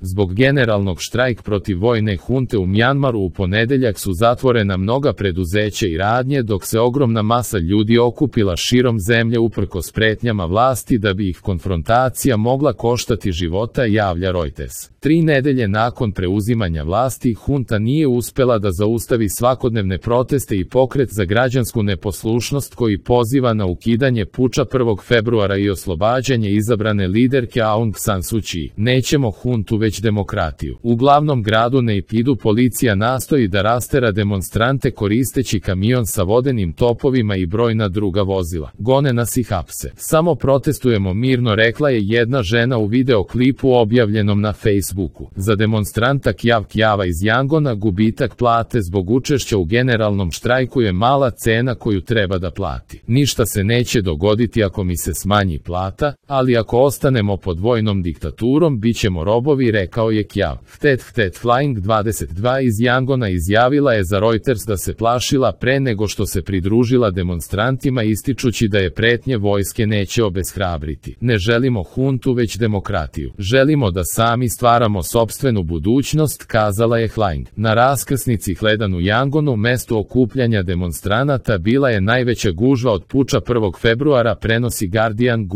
Zbog generalnog štrajka protiv vojne hunte u Mjanmaru u ponedeljak su zatvorena mnoga preduzeća i radnje, dok se ogromna masa ljudi okupila širom zemlje uprkos pretnjama vlasti da bi ih konfrontacija mogla koštati života, javlja Reuters. 3 nedelje nakon preuzimanja vlasti, hunta nije uspela da zaustavi svakodnevne proteste i pokret za građansku neposlušnost koji poziva na ukidanje puča 1. februara i oslobađanje izabrane liderke Aung San Suu Kyi. Nećemo huntu već demokratiju. U glavnom gradu Naypidu policija nastoji da rastera demonstrante koristeći kamion sa vodenim topovima i brojna druga vozila. Gone nas i hapse. Samo protestujemo mirno, rekla je jedna žena u videoklipu objavljenom na Facebooku. Za demonstranta Kyaw Kyawa iz Yangona gubitak plate zbog učešća u generalnom štrajku je mala cena koju treba da plati. Ništa se neće dogoditi ako mi se smanji plata, ali ako ostanemo pod vojnom diktaturom, bit ćemo robovi, rekao je Kyaw. Htet Flying 22 iz Yangona izjavila je za Reuters da se plašila pre nego što se pridružila demonstrantima, ističući da je pretnje vojske neće obeshrabriti. Ne želimo huntu već demokratiju. Želimo da sami stvaramo sopstvenu budućnost, kazala je Flying. Na raskrsnici Hledan u Yangonu, mestu okupljanja demonstranata, bila je najveća gužva od puča 1. februara, prenosi Guardian.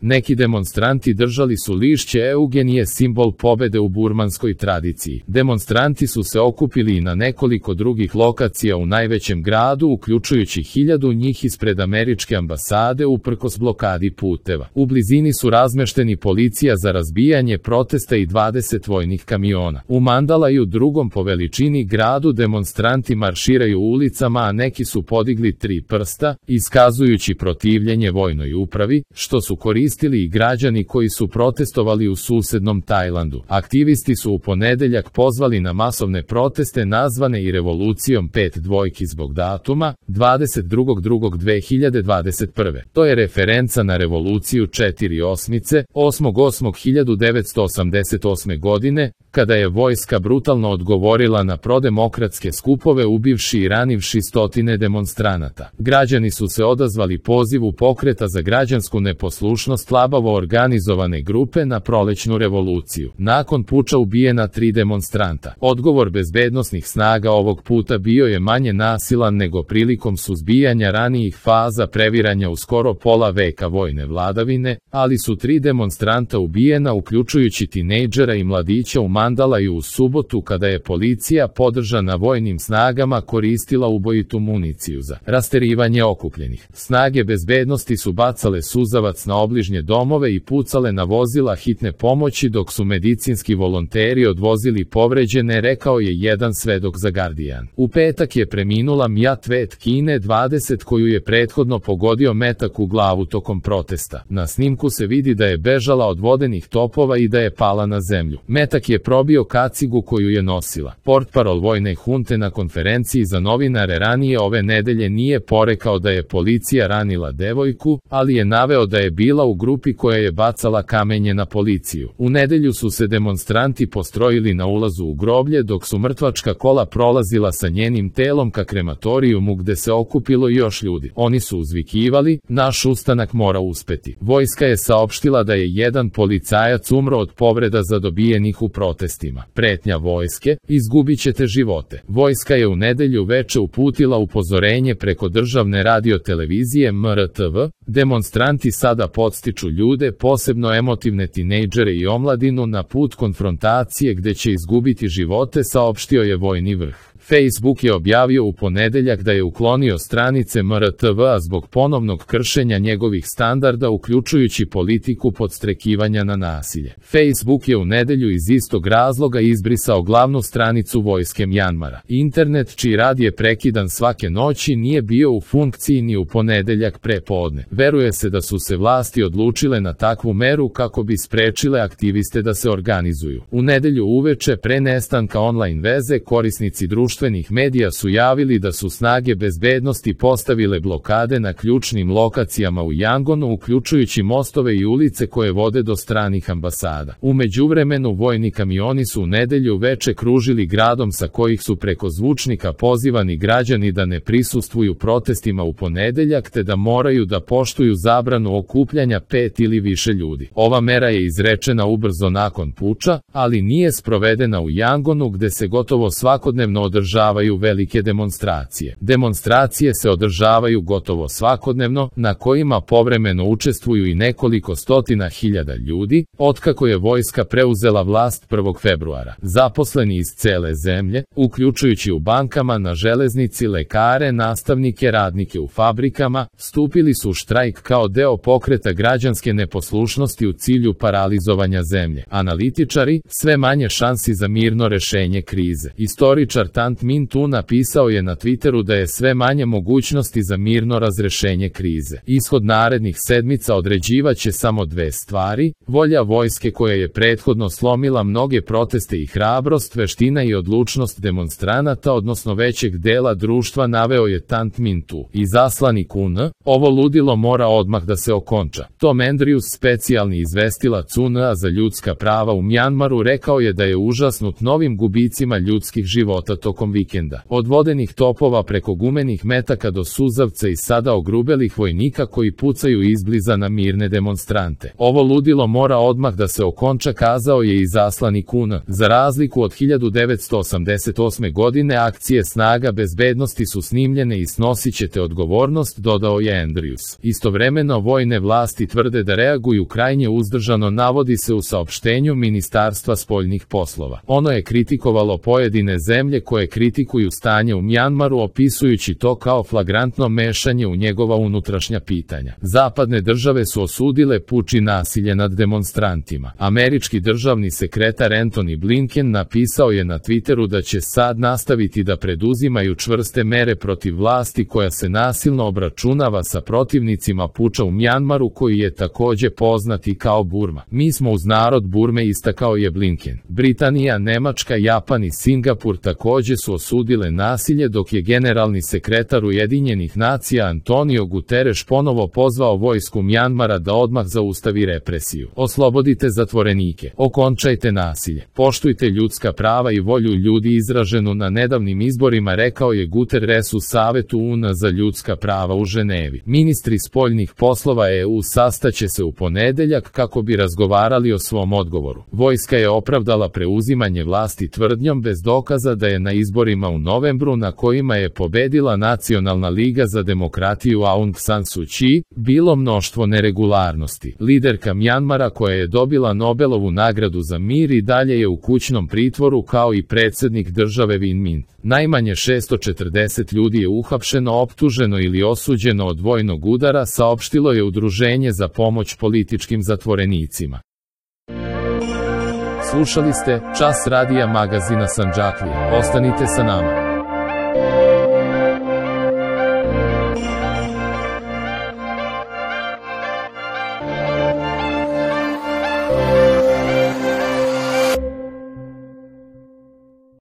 Neki demonstranti držali su lišće eugenije, simbol pobede u burmanskoj tradiciji. Demonstranti su se okupili i na nekoliko drugih lokacija u najvećem gradu, uključujući 1000 njih ispred američke ambasade uprkos blokadi puteva. U blizini su razmešteni policija za razbijanje protesta i 20 vojnih kamiona. U Mandalaju, drugom po veličini gradu, demonstranti marširaju ulicama, a neki su podigli 3 prsta, iskazujući protivljenje vojnoj upravi, što su koristili i građani koji su protestovali u susednom Tajlandu. Aktivisti su u ponedeljak pozvali na masovne proteste nazvane i revolucijom 5 dvojki zbog datuma 22.2.2021. To je referenca na revoluciju 4 osmice 8.8.1988. godine, kada je vojska brutalno odgovorila na prodemokratske skupove, ubivši i ranivši stotine demonstranata. Građani su se odazvali pozivu pokreta za građansku neposlušnost slabavo organizovane grupe na prolećnu revoluciju. Nakon puča ubijena 3 demonstranta. Odgovor bezbednosnih snaga ovog puta bio je manje nasilan nego prilikom suzbijanja ranijih faza previranja u skoro pola veka vojne vladavine, ali su 3 demonstranta ubijena, uključujući tinejdžera i mladića u Mandalaju u subotu, kada je policija podržana vojnim snagama koristila ubojitu municiju za rasterivanje okupljenih. Snage bezbednosti su bacale suzavac na obližnje domove i pucale na vozila hitne pomoći dok su medicinski volonteri odvozili povređene, rekao je jedan svedok za Guardian. U petak je preminula Mia Tvet Kine 20, koju je prethodno pogodio metak u glavu tokom protesta. Na snimku se vidi da je bežala od vodenih topova i da je pala na zemlju. Metak je probio kacigu koju je nosila. Portparol vojne hunte na konferenciji za novinare ranije ove nedelje nije porekao da je policija ranila devojku, ali je naveo da je bila u grupi koja je bacala kamenje na policiju. U nedelju su se demonstranti postrojili na ulazu u groblje, dok su mrtvačka kola prolazila sa njenim telom ka krematorijumu gde se okupilo još ljudi. Oni su uzvikivali: naš ustanak mora uspeti. Vojska je saopštila da je jedan policajac umro od povreda zadobijenih u protestima. Pretnja vojske: izgubit ćete živote. Vojska je u nedelju veče uputila upozorenje preko državne radiotelevizije MRTV. Demonstranti sada podstiču ljude, posebno emotivne tinejdžere i omladinu, na put konfrontacije gde će izgubiti živote, saopštio je vojni vrh. Facebook je objavio u ponedeljak da je uklonio stranice MRTV-a zbog ponovnog kršenja njegovih standarda, uključujući politiku podstrekivanja na nasilje. Facebook je u nedelju iz istog razloga izbrisao glavnu stranicu vojske Mjanmara. Internet, čiji rad je prekidan svake noći, nije bio u funkciji ni u ponedeljak pre podne. Veruje se da su se vlasti odlučile na takvu meru kako bi sprečile aktiviste da se organizuju. U nedelju uveče, pre nestanka online veze, korisnici društvenih društvenih medija su javili da su snage bezbednosti postavile blokade na ključnim lokacijama u Yangonu, uključujući mostove i ulice koje vode do stranih ambasada. U međuvremenu vojni kamioni su u nedelju veče kružili gradom, sa kojih su preko zvučnika pozivani građani da ne prisustvuju protestima u ponedeljak te da moraju da poštuju zabranu okupljanja 5 ili više ljudi. Ova mera je izrečena ubrzo nakon puča, ali nije sprovedena u Yangonu, gde se gotovo svakodnevno održavaju velike demonstracije. Demonstracije se održavaju gotovo svakodnevno, na kojima povremeno učestvuju i nekoliko stotina hiljada ljudi, otkako je vojska preuzela vlast 1. februara. Zaposleni iz cele zemlje, uključujući u bankama, na železnici, lekare, nastavnike, radnike u fabrikama, stupili su u štrajk kao deo pokreta građanske neposlušnosti u cilju paralizovanja zemlje. Analitičari, sve manje šansi za mirno rešenje krize. Istoričar Tant Min Tu napisao je na Twitteru da je sve manje mogućnosti za mirno razrešenje krize. Ishod narednih sedmica određivaće samo dve stvari: volja vojske koja je prethodno slomila mnoge proteste i hrabrost, veština i odlučnost demonstranata, odnosno većeg dela društva, naveo je Tant Min Tu. Izaslanik UN, ovo ludilo mora odmah da se okonča. Tom Andrews, specijalni izvestilac UN-a za ljudska prava u Mjanmaru, rekao je da je užasnut novim gubicima ljudskih života tokom vikenda. Od vodenih topova preko gumenih metaka do suzavca i sada ogrubelih vojnika koji pucaju izbliza na mirne demonstrante. Ovo ludilo mora odmah da se okonča, kazao je izaslanik UN. Za razliku od 1988. godine, akcije snaga bezbednosti su snimljene i snosit ćete odgovornost, dodao je Andrews. Istovremeno vojne vlasti tvrde da reaguju krajnje uzdržano, navodi se u saopštenju Ministarstva spoljnih poslova. Ono je kritikovalo pojedine zemlje koje kritikuju stanje u Mjanmaru, opisujući to kao flagrantno mešanje u njegova unutrašnja pitanja. Zapadne države su osudile puč i nasilje nad demonstrantima. Američki državni sekretar Antony Blinken napisao je na Twitteru da će SAD nastaviti da preduzimaju čvrste mere protiv vlasti koja se nasilno obračunava sa protivnicima puča u Mjanmaru, koji je takođe poznat i kao Burma. Mi smo uz narod Burme, istakao je Blinken. Britanija, Nemačka, Japan i Singapur takođe su osudile nasilje, dok je generalni sekretar Ujedinjenih nacija Antonio Guterres ponovo pozvao vojsku Mjanmara da odmah zaustavi represiju. Oslobodite zatvorenike, okončajte nasilje, poštujte ljudska prava i volju ljudi izraženu na nedavnim izborima, rekao je Guterres u Savetu UN za ljudska prava u Ženevi. Ministri spoljnih poslova EU sastaće se u ponedeljak kako bi razgovarali o svom odgovoru. Vojska je opravdala preuzimanje vlasti tvrdnjom bez dokaza da je na izborima u novembru, na kojima je pobedila Nacionalna liga za demokratiju Aung San Suu Kyi, bilo mnoštvo neregularnosti. Liderka Mjanmara, koja je dobila Nobelovu nagradu za mir, i dalje je u kućnom pritvoru, kao i predsjednik države Win Myint. Najmanje 640 ljudi je uhapšeno, optuženo ili osuđeno od vojnog udara, saopštilo je Udruženje za pomoć političkim zatvorenicima. Slušali ste Čas radija magazina Sandžaklija. Ostanite sa nama.